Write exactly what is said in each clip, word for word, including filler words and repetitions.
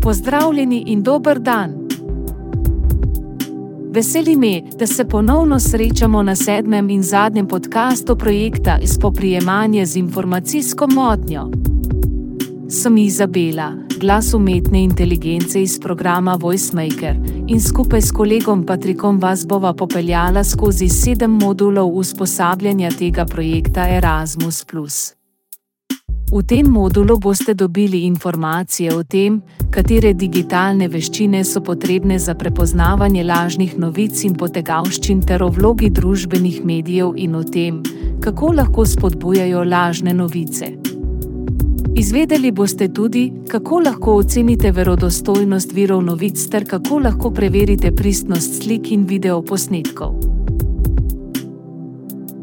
Pozdravljeni in dober dan! Veseli me, da se ponovno srečamo na sedmem in zadnjem podcastu projekta Spoprijemanje z informacijsko motnjo. Sem Izabela, glas umetne inteligence iz programa VoiceMaker, in skupaj s kolegom Patrikom vas bova popeljala skozi sedem modulov usposabljanja tega projekta Erasmus plus. V tem modulu boste dobili informacije o tem, katere digitalne veščine so potrebne za prepoznavanje lažnih novic in potegavščin ter o vlogi družbenih medijev in o tem, kako lahko spodbujajo lažne novice. Izvedeli boste tudi, kako lahko ocenite verodostojnost virov novic ter kako lahko preverite pristnost slik in videoposnetkov.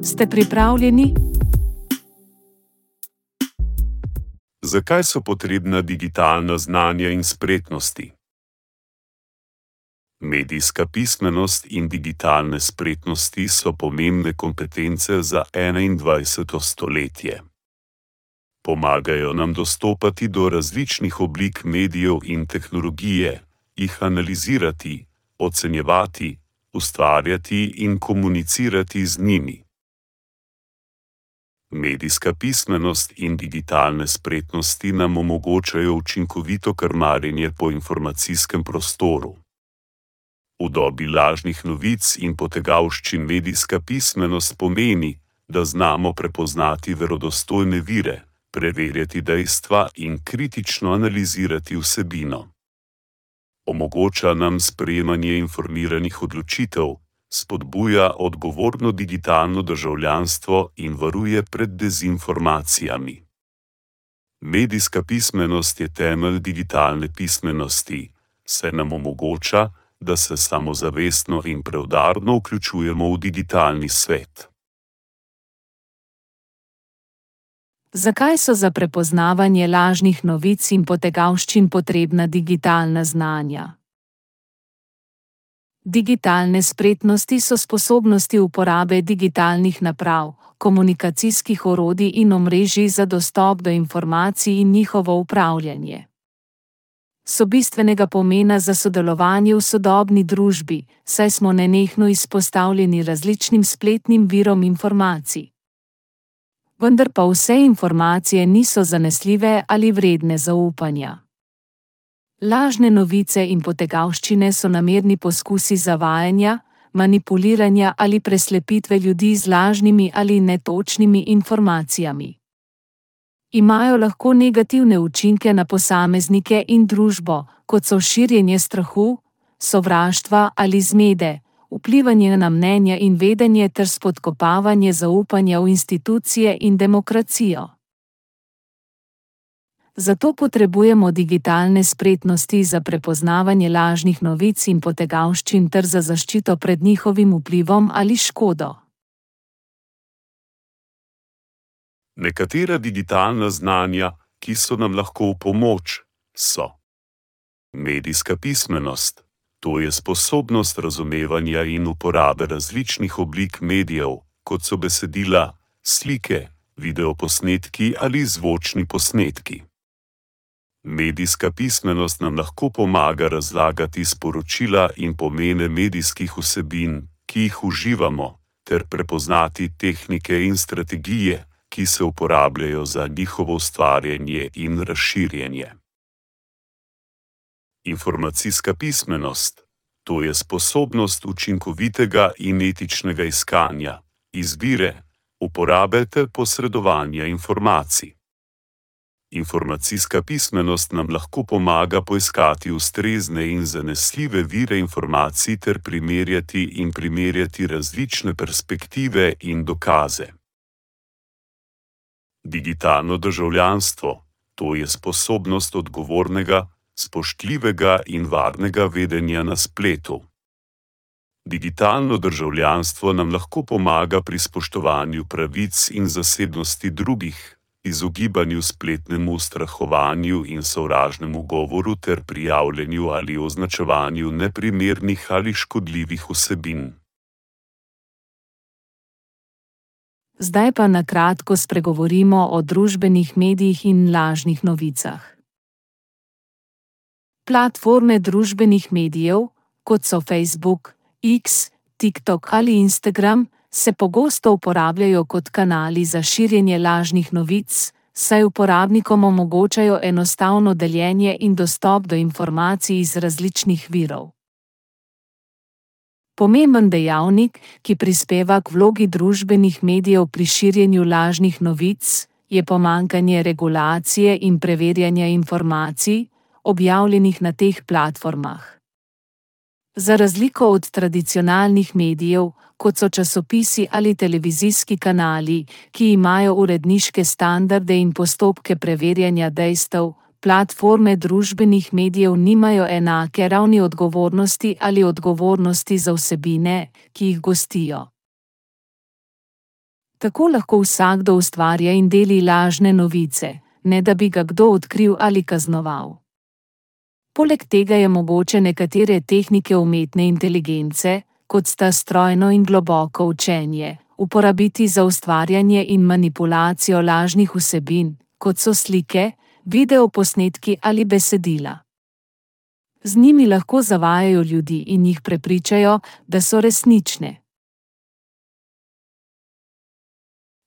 Ste pripravljeni? Zakaj so potrebna digitalna znanja in spretnosti? Medijska pismenost in digitalne spretnosti so pomembne kompetence za enaindvajseto stoletje. Pomagajo nam dostopati do različnih oblik medijev in tehnologije, jih analizirati, ocenjevati, ustvarjati in komunicirati z njimi. Medijska pismenost in digitalne spretnosti nam omogočajo učinkovito krmarjenje po informacijskem prostoru. V dobi lažnih novic in potegavščin medijska pismenost pomeni, da znamo prepoznati verodostojne vire, preverjati dejstva in kritično analizirati vsebino. Omogoča nam sprejemanje informiranih odločitev, spodbuja odgovorno digitalno državljanstvo in varuje pred dezinformacijami. Medijska pismenost je temelj digitalne pismenosti, saj nam omogoča, da se samozavestno in preudarno vključujemo v digitalni svet. Zakaj so za prepoznavanje lažnih novic in potegavščin potrebna digitalna znanja? Digitalne spretnosti so sposobnosti uporabe digitalnih naprav, komunikacijskih orodij in omrežij za dostop do informacij in njihovo upravljanje. So bistvenega pomena za sodelovanje v sodobni družbi, saj smo nenehno izpostavljeni različnim spletnim virom informacij. Vendar pa vse informacije niso zanesljive ali vredne zaupanja. Lažne novice in potegavščine so namerni poskusi zavajanja, manipuliranja ali preslepitve ljudi z lažnimi ali netočnimi informacijami. Imajo lahko negativne učinke na posameznike in družbo, kot so širjenje strahu, sovraštva ali zmede, vplivanje na mnenja in vedenje ter spodkopavanje zaupanja v institucije in demokracijo. Zato potrebujemo digitalne spretnosti za prepoznavanje lažnih novic in potegavščin ter za zaščito pred njihovim vplivom ali škodo. Nekatera digitalna znanja, ki so nam lahko v pomoč, so medijska pismenost, to je sposobnost razumevanja in uporabe različnih oblik medijev, kot so besedila, slike, videoposnetki ali zvočni posnetki. Medijska pismenost nam lahko pomaga razlagati sporočila in pomene medijskih vsebin, ki jih uživamo, ter prepoznati tehnike in strategije, ki se uporabljajo za njihovo ustvarjanje in razširjenje. Informacijska pismenost, to je sposobnost učinkovitega in etičnega iskanja, izbire, uporabe ter posredovanja informacij. Informacijska pismenost nam lahko pomaga poiskati ustrezne in zanesljive vire informacij ter primerjati in primerjati različne perspektive in dokaze. Digitalno državljanstvo, to je sposobnost odgovornega, spoštljivega in varnega vedenja na spletu. Digitalno državljanstvo nam lahko pomaga pri spoštovanju pravic in zasebnosti drugih, izogibanju spletnemu ustrahovanju in sovražnemu govoru ter prijavljanju ali označevanju neprimernih ali škodljivih vsebin. Zdaj pa na kratko spregovorimo o družbenih medijih in lažnih novicah. Platforme družbenih medijev, kot so Facebook, X, TikTok ali Instagram, se pogosto uporabljajo kot kanali za širjenje lažnih novic, saj uporabnikom omogočajo enostavno deljenje in dostop do informacij iz različnih virov. Pomemben dejavnik, ki prispeva k vlogi družbenih medijev pri širjenju lažnih novic, je pomanjkanje regulacije in preverjanja informacij, objavljenih na teh platformah. Za razliko od tradicionalnih medijev, kot so časopisi ali televizijski kanali, ki imajo uredniške standarde in postopke preverjanja dejstev, platforme družbenih medijev nimajo enake ravni odgovornosti ali odgovornosti za vsebine, ki jih gostijo. Tako lahko vsakdo ustvarja in deli lažne novice, ne da bi ga kdo odkril ali kaznoval. Poleg tega je mogoče nekatere tehnike umetne inteligence, kot sta strojno in globoko učenje, uporabiti za ustvarjanje in manipulacijo lažnih vsebin, kot so slike, videoposnetki ali besedila. Z njimi lahko zavajajo ljudi in jih prepričajo, da so resnične.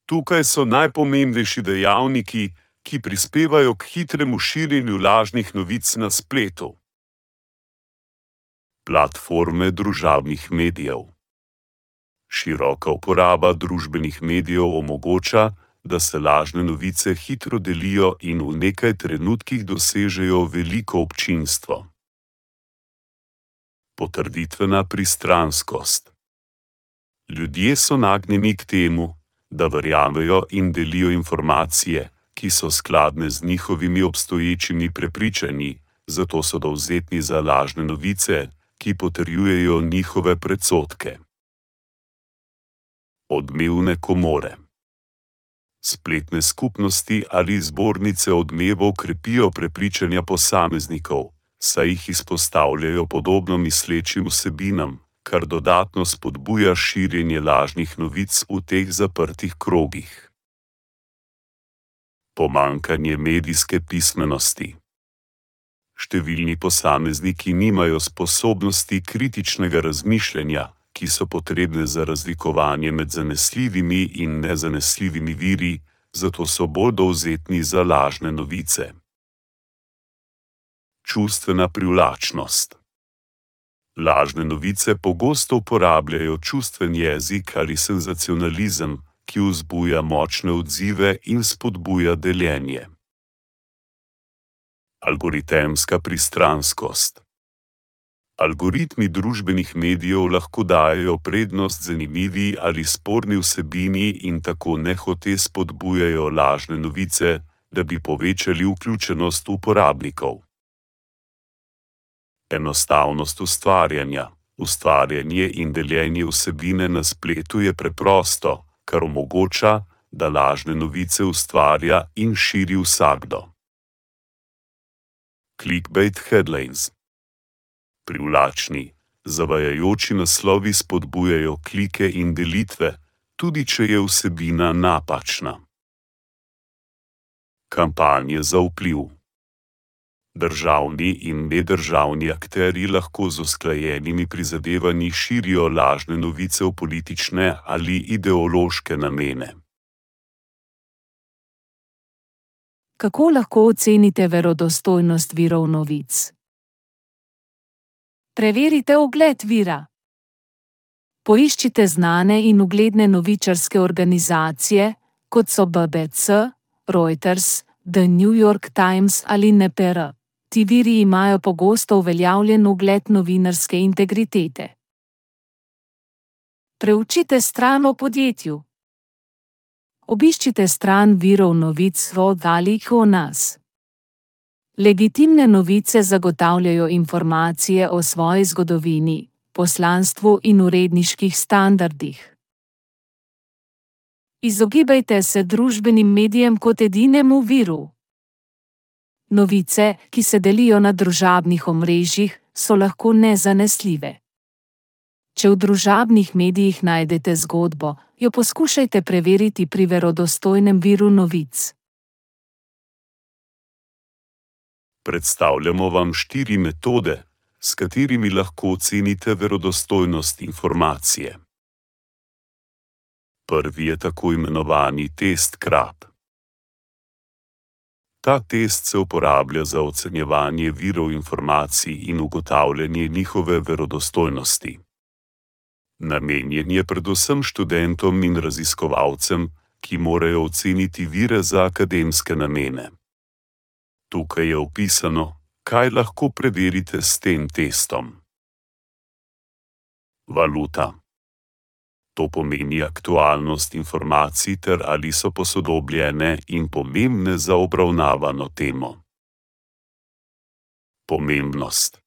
Tukaj so najpomembnejši dejavniki, ki prispevajo k hitremu širjenju lažnih novic na spletu. Platforme družabnih medijev. Široka uporaba družbenih medijev omogoča, da se lažne novice hitro delijo in v nekaj trenutkih dosežejo veliko občinstvo. Potrditvena pristranskost. Ljudje so nagnjeni k temu, da verjamejo in delijo informacije, ki so skladne z njihovimi obstoječimi prepričanji, zato so dovzetni za lažne novice, ki potrjujejo njihove predsodke. Odmevne komore. Spletne skupnosti ali zbornice odmevov krepijo prepričanja posameznikov, saj jih izpostavljajo podobno mislečim vsebinam, kar dodatno spodbuja širjenje lažnih novic v teh zaprtih krogih. Pomanjkanje medijske pismenosti. Številni posamezniki nimajo sposobnosti kritičnega razmišljanja, ki so potrebne za razlikovanje med zanesljivimi in nezanesljivimi viri, zato so bolj dovzetni za lažne novice. Čustvena privlačnost. Lažne novice pogosto uporabljajo čustven jezik ali senzacionalizem, ki vzbuja močne odzive in spodbuja deljenje. Algoritemska pristranskost. Algoritmi družbenih medijev lahko dajejo prednost zanimivi ali sporni vsebini in tako nehote spodbujajo lažne novice, da bi povečali vključenost uporabnikov. Enostavnost ustvarjanja. Ustvarjanje in deljenje vsebine na spletu je preprosto, kar omogoča, da lažne novice ustvarja in širi vsakdo. Clickbait headlines. Privlačni, zavajajoči naslovi spodbujajo klike in delitve, tudi če je vsebina napačna. Kampanje za vpliv. Državni in nedržavni akterji lahko z usklajenimi prizadevanji širijo lažne novice v politične ali ideološke namene. Kako lahko ocenite verodostojnost virov novic? Preverite ugled vira. Poiščite znane in ugledne novičarske organizacije, kot so B B C, Reuters, The New York Times ali N P R. Ti viri imajo pogosto uveljavljen ugled novinarske integritete. Preučite stran o podjetju. Obiščite stran virov novic v oddalih o nas. Legitimne novice zagotavljajo informacije o svoji zgodovini, poslanstvu in uredniških standardih. Izogibajte se družbenim medijem kot edinemu viru. Novice, ki se delijo na družabnih omrežjih, so lahko nezanesljive. Če v družabnih medijih najdete zgodbo, jo poskušajte preveriti pri verodostojnem viru novic. Predstavljamo vam štiri metode, s katerimi lahko ocenite verodostojnost informacije. Prvi je tako imenovani test Krab. Ta test se uporablja za ocenjevanje virov informacij in ugotavljanje njihove verodostojnosti. Namenjen je predvsem študentom in raziskovalcem, ki morajo oceniti vire za akademske namene. Tukaj je opisano, kaj lahko preverite s tem testom. Valuta. To pomeni aktualnost informacij ter ali so posodobljene in pomembne za obravnavano temo. Pomembnost.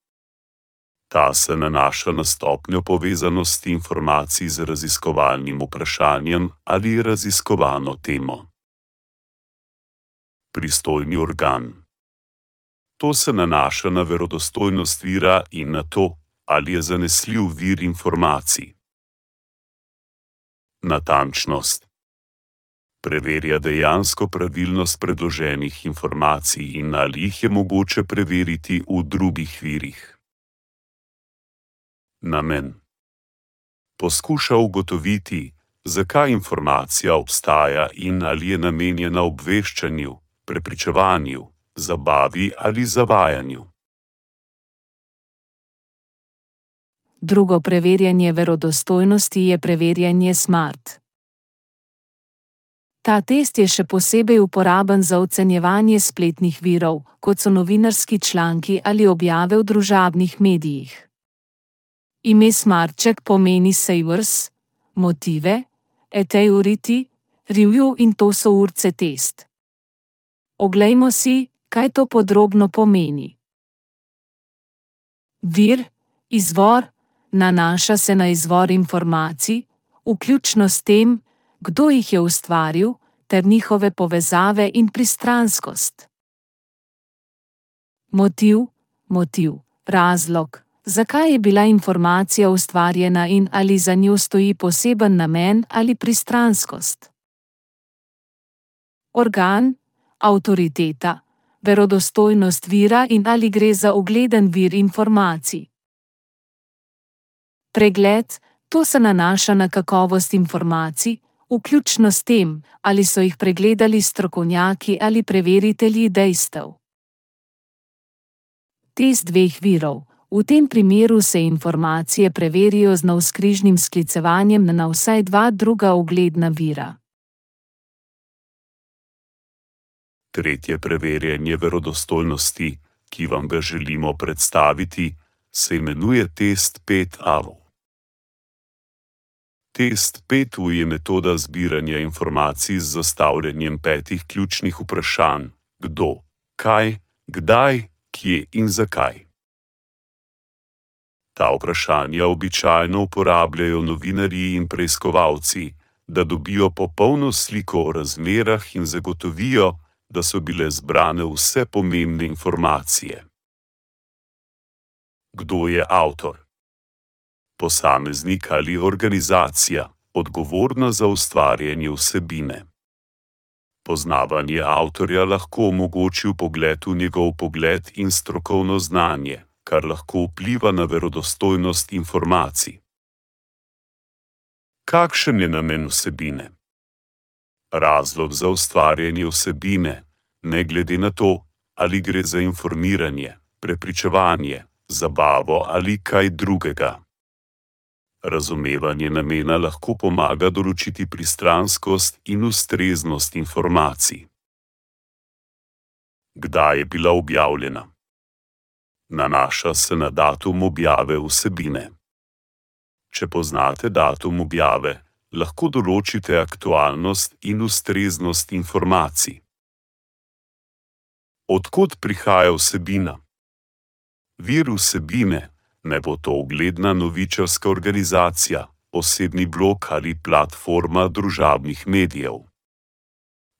Ta se nanaša na stopnjo povezanosti informacij z raziskovalnim vprašanjem ali raziskovano temo. Pristojni organ. To se nanaša na verodostojnost vira in na to, ali je zanesljiv vir informacij. Natančnost. Preverja dejansko pravilnost predloženih informacij in ali jih je mogoče preveriti v drugih virih. Namen. Poskuša ugotoviti, zakaj informacija obstaja in ali je namenjena obveščanju, prepričevanju, zabavi ali zavajanju. Drugo preverjanje verodostojnosti je preverjanje SMART. Ta test je še posebej uporaben za ocenjevanje spletnih virov, kot so novinarski članki ali objave v družabnih medijih. Ime SMART-ček pomeni savers, motive, authority, review in to so urce test. Oglejmo si, kaj to podrobno pomeni. Vir, izvor, nanaša se na izvor informacij, vključno s tem, kdo jih je ustvaril, ter njihove povezave in pristranskost. Motiv, motiv, razlog, zakaj je bila informacija ustvarjena in ali za njo stoji poseben namen ali pristranskost. Organ, avtoriteta, verodostojnost vira in ali gre za ugleden vir informacij. Pregled, to se nanaša na kakovost informacij, vključno s tem, ali so jih pregledali strokovnjaki ali preveritelji dejstev. Test dveh virov. V tem primeru se informacije preverijo z navzkrižnim sklicevanjem na vsaj dva druga ugledna vira. Tretje preverjanje verodostojnosti, ki vam ga želimo predstaviti, se imenuje test pet A V. Test pet A V je metoda zbiranja informacij z zastavljanjem petih ključnih vprašanj: kdo, kaj, kdaj, kje in zakaj. Ta vprašanja običajno uporabljajo novinarji in preiskovalci, da dobijo popolno sliko o razmerah in zagotovijo, da so bile zbrane vse pomembne informacije. Kdo je avtor? Posameznik ali organizacija, odgovorna za ustvarjanje vsebine. Poznavanje avtorja lahko omogoči vpogled v njegov pogled in strokovno znanje, kar lahko vpliva na verodostojnost informacij. Kakšen je namen vsebine? Razlog za ustvarjanje vsebine, ne glede na to, ali gre za informiranje, prepričevanje, zabavo ali kaj drugega. Razumevanje namena lahko pomaga določiti pristranskost in ustreznost informacij. Kdaj je bila objavljena? Nanaša se na datum objave vsebine. Če poznate datum objave, lahko določite aktualnost in ustreznost informacij. Od kod prihaja vsebina? Vir vsebine, ne bo to ugledna novičarska organizacija, osebni blog ali platforma družabnih medijev.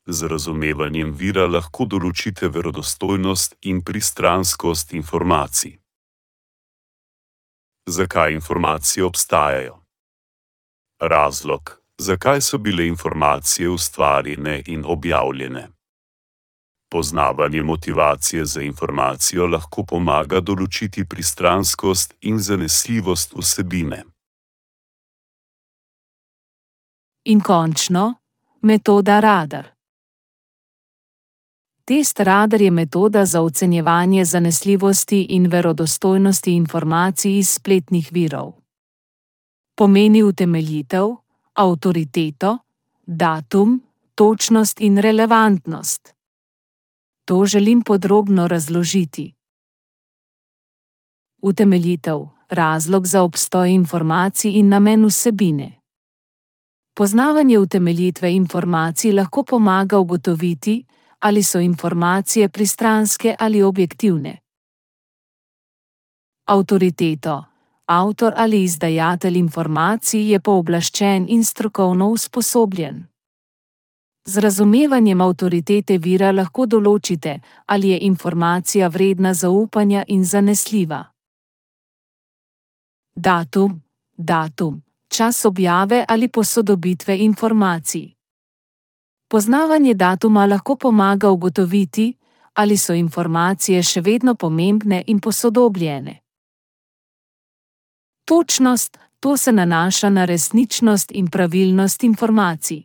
Z razumevanjem vira lahko določite verodostojnost in pristranskost informacij. Zakaj informacije obstajajo? Razlog, zakaj so bile informacije ustvarjene in objavljene. Poznavanje motivacije za informacijo lahko pomaga določiti pristranskost in zanesljivost vsebine. In končno, metoda Radar. Test Radar je metoda za ocenjevanje zanesljivosti in verodostojnosti informacij iz spletnih virov. Pomeni utemeljitev, avtoriteto, datum, točnost in relevantnost. To želim podrobno razložiti. Utemeljitev, razlog za obstoj informacij in namen vsebine. Poznavanje utemeljitve informacij lahko pomaga ugotoviti, ali so informacije pristranske ali objektivne. Avtoriteto. Avtor ali izdajatelj informacij je pooblaščen in strokovno usposobljen. Z razumevanjem avtoritete vira lahko določite, ali je informacija vredna zaupanja in zanesljiva. Datum. Datum. Čas objave ali posodobitve informacij. Poznavanje datuma lahko pomaga ugotoviti, ali so informacije še vedno pomembne in posodobljene. Točnost. To se nanaša na resničnost in pravilnost informacij.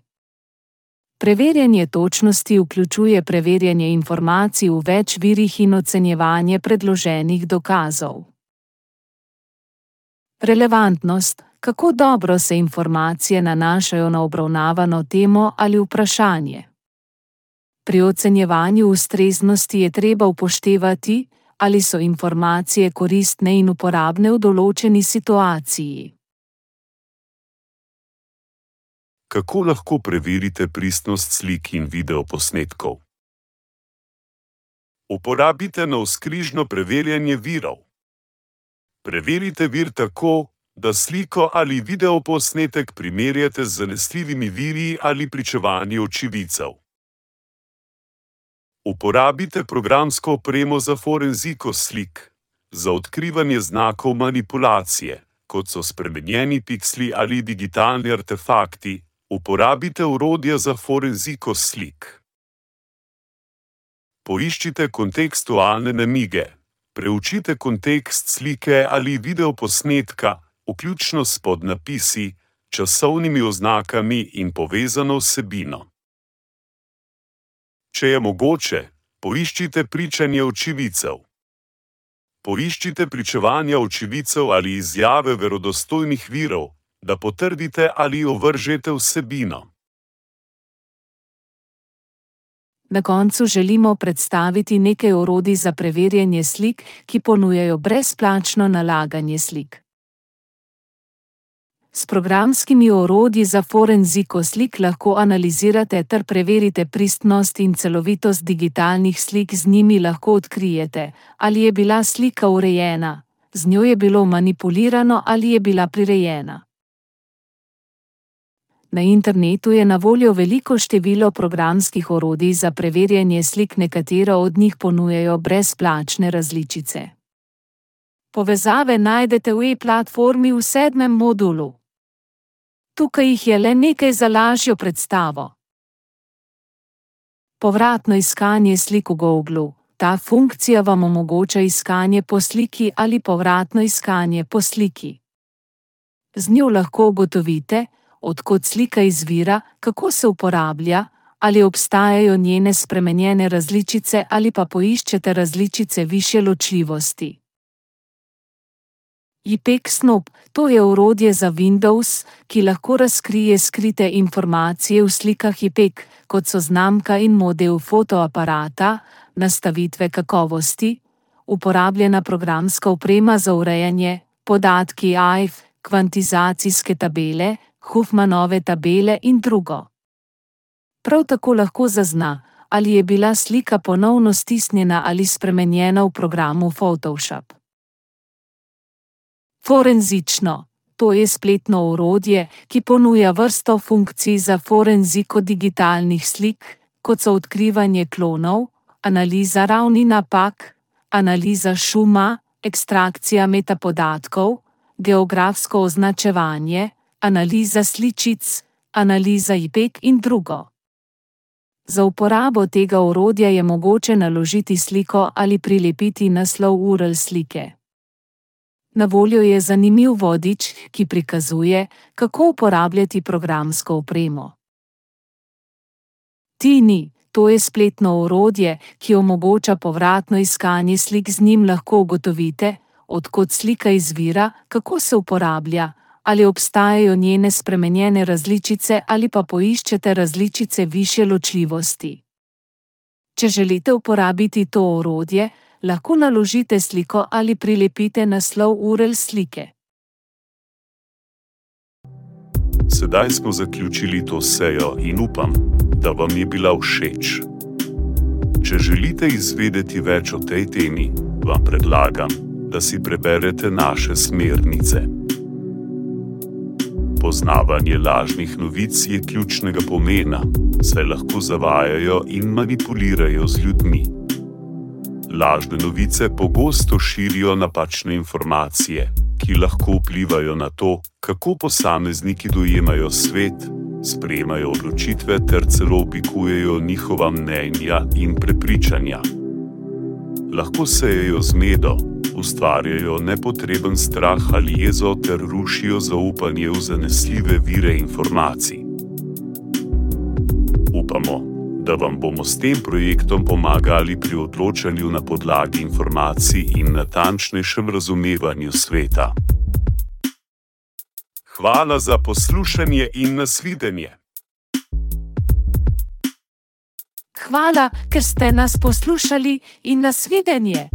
Preverjanje točnosti vključuje preverjanje informacij v več virih in ocenjevanje predloženih dokazov. Relevantnost. Kako dobro se informacije nanašajo na obravnavano temo ali vprašanje. Pri ocenjevanju ustreznosti je treba upoštevati, ali so informacije koristne in uporabne v določeni situaciji. Kako lahko preverite pristnost slik in videoposnetkov? Uporabite navzkrižno preverjanje virov. Preverite vir tako, da sliko ali videoposnetek primerjate z zanesljivimi viri ali pričevanji očividcev. Uporabite programsko opremo za forenziko slik, za odkrivanje znakov manipulacije, kot so spremenjeni piksli ali digitalni artefakti. Uporabite orodja za forenziko slik. Poiščite kontekstualne namige. Preučite kontekst slike ali videoposnetka, vključno s podnapisi, časovnimi oznakami in povezano vsebino. Če je mogoče, poiščite pričanje očividcev. Poiščite pričevanja očividcev ali izjave verodostojnih virov, da potrdite ali ovržete vsebino. Na koncu želimo predstaviti nekaj orodij za preverjanje slik, ki ponujajo brezplačno nalaganje slik. S programskimi orodji za forenziko slik lahko analizirate ter preverite pristnost in celovitost digitalnih slik. Z njimi lahko odkrijete, ali je bila slika urejena, z njo je bilo manipulirano ali je bila prirejena. Na internetu je na voljo veliko število programskih orodij za preverjanje slik, nekatera od njih ponujajo brezplačne različice. Povezave najdete v e-platformi v sedmem modulu. Tukaj jih je le nekaj za lažjo predstavo. Povratno iskanje slik v Googlu. Ta funkcija vam omogoča iskanje po sliki ali povratno iskanje po sliki. Z njo lahko ugotovite, od kod slika izvira, kako se uporablja, ali obstajajo njene spremenjene različice ali pa poiščete različice višje ločljivosti. IPEG-Snoop, to je orodje za Windows, ki lahko razkrije skrite informacije v slikah IPEG, kot so znamka in model fotoaparata, nastavitve kakovosti, uporabljena programska oprema za urejanje, podatki A I F, kvantizacijske tabele, Huffmanove tabele in drugo. Prav tako lahko zazna, ali je bila slika ponovno stisnjena ali spremenjena v programu Photoshop. Forenzično. To je spletno orodje, ki ponuja vrsto funkcij za forenziko digitalnih slik, kot so odkrivanje klonov, analiza ravni napak, analiza šuma, ekstrakcija metapodatkov, geografsko označevanje, analiza sličic, analiza IPEG in drugo. Za uporabo tega orodja je mogoče naložiti sliko ali prilepiti naslov U R L slike. Na voljo je zanimiv vodič, ki prikazuje, kako uporabljati programsko opremo. Tiny, to je spletno orodje, ki omogoča povratno iskanje slik. Z njim lahko ugotovite, od kod slika izvira, kako se uporablja, ali obstajajo njene spremenjene različice ali pa poiščete različice višje ločljivosti. Če želite uporabiti to orodje, lahko naložite sliko ali prilepite naslov U R L slike. Sedaj smo zaključili to sejo in upam, da vam je bila všeč. Če želite izvedeti več o tej temi, vam predlagam, da si preberete naše smernice. Poznavanje lažnih novic je ključnega pomena, saj lahko zavajajo in manipulirajo z ljudmi. Lažne novice pogosto širijo napačne informacije, ki lahko vplivajo na to, kako posamezniki dojemajo svet, sprejemajo odločitve ter celo oblikujejo njihova mnenja in prepričanja. Lahko sejejo zmedo, ustvarjajo nepotreben strah ali jezo ter rušijo zaupanje v zanesljive vire informacij. Upamo, da vam bomo s tem projektom pomagali pri odločanju na podlagi informacij in natančnejšem razumevanju sveta. Hvala za poslušanje in nasvidenje. Hvala, ker ste nas poslušali in nasvidenje.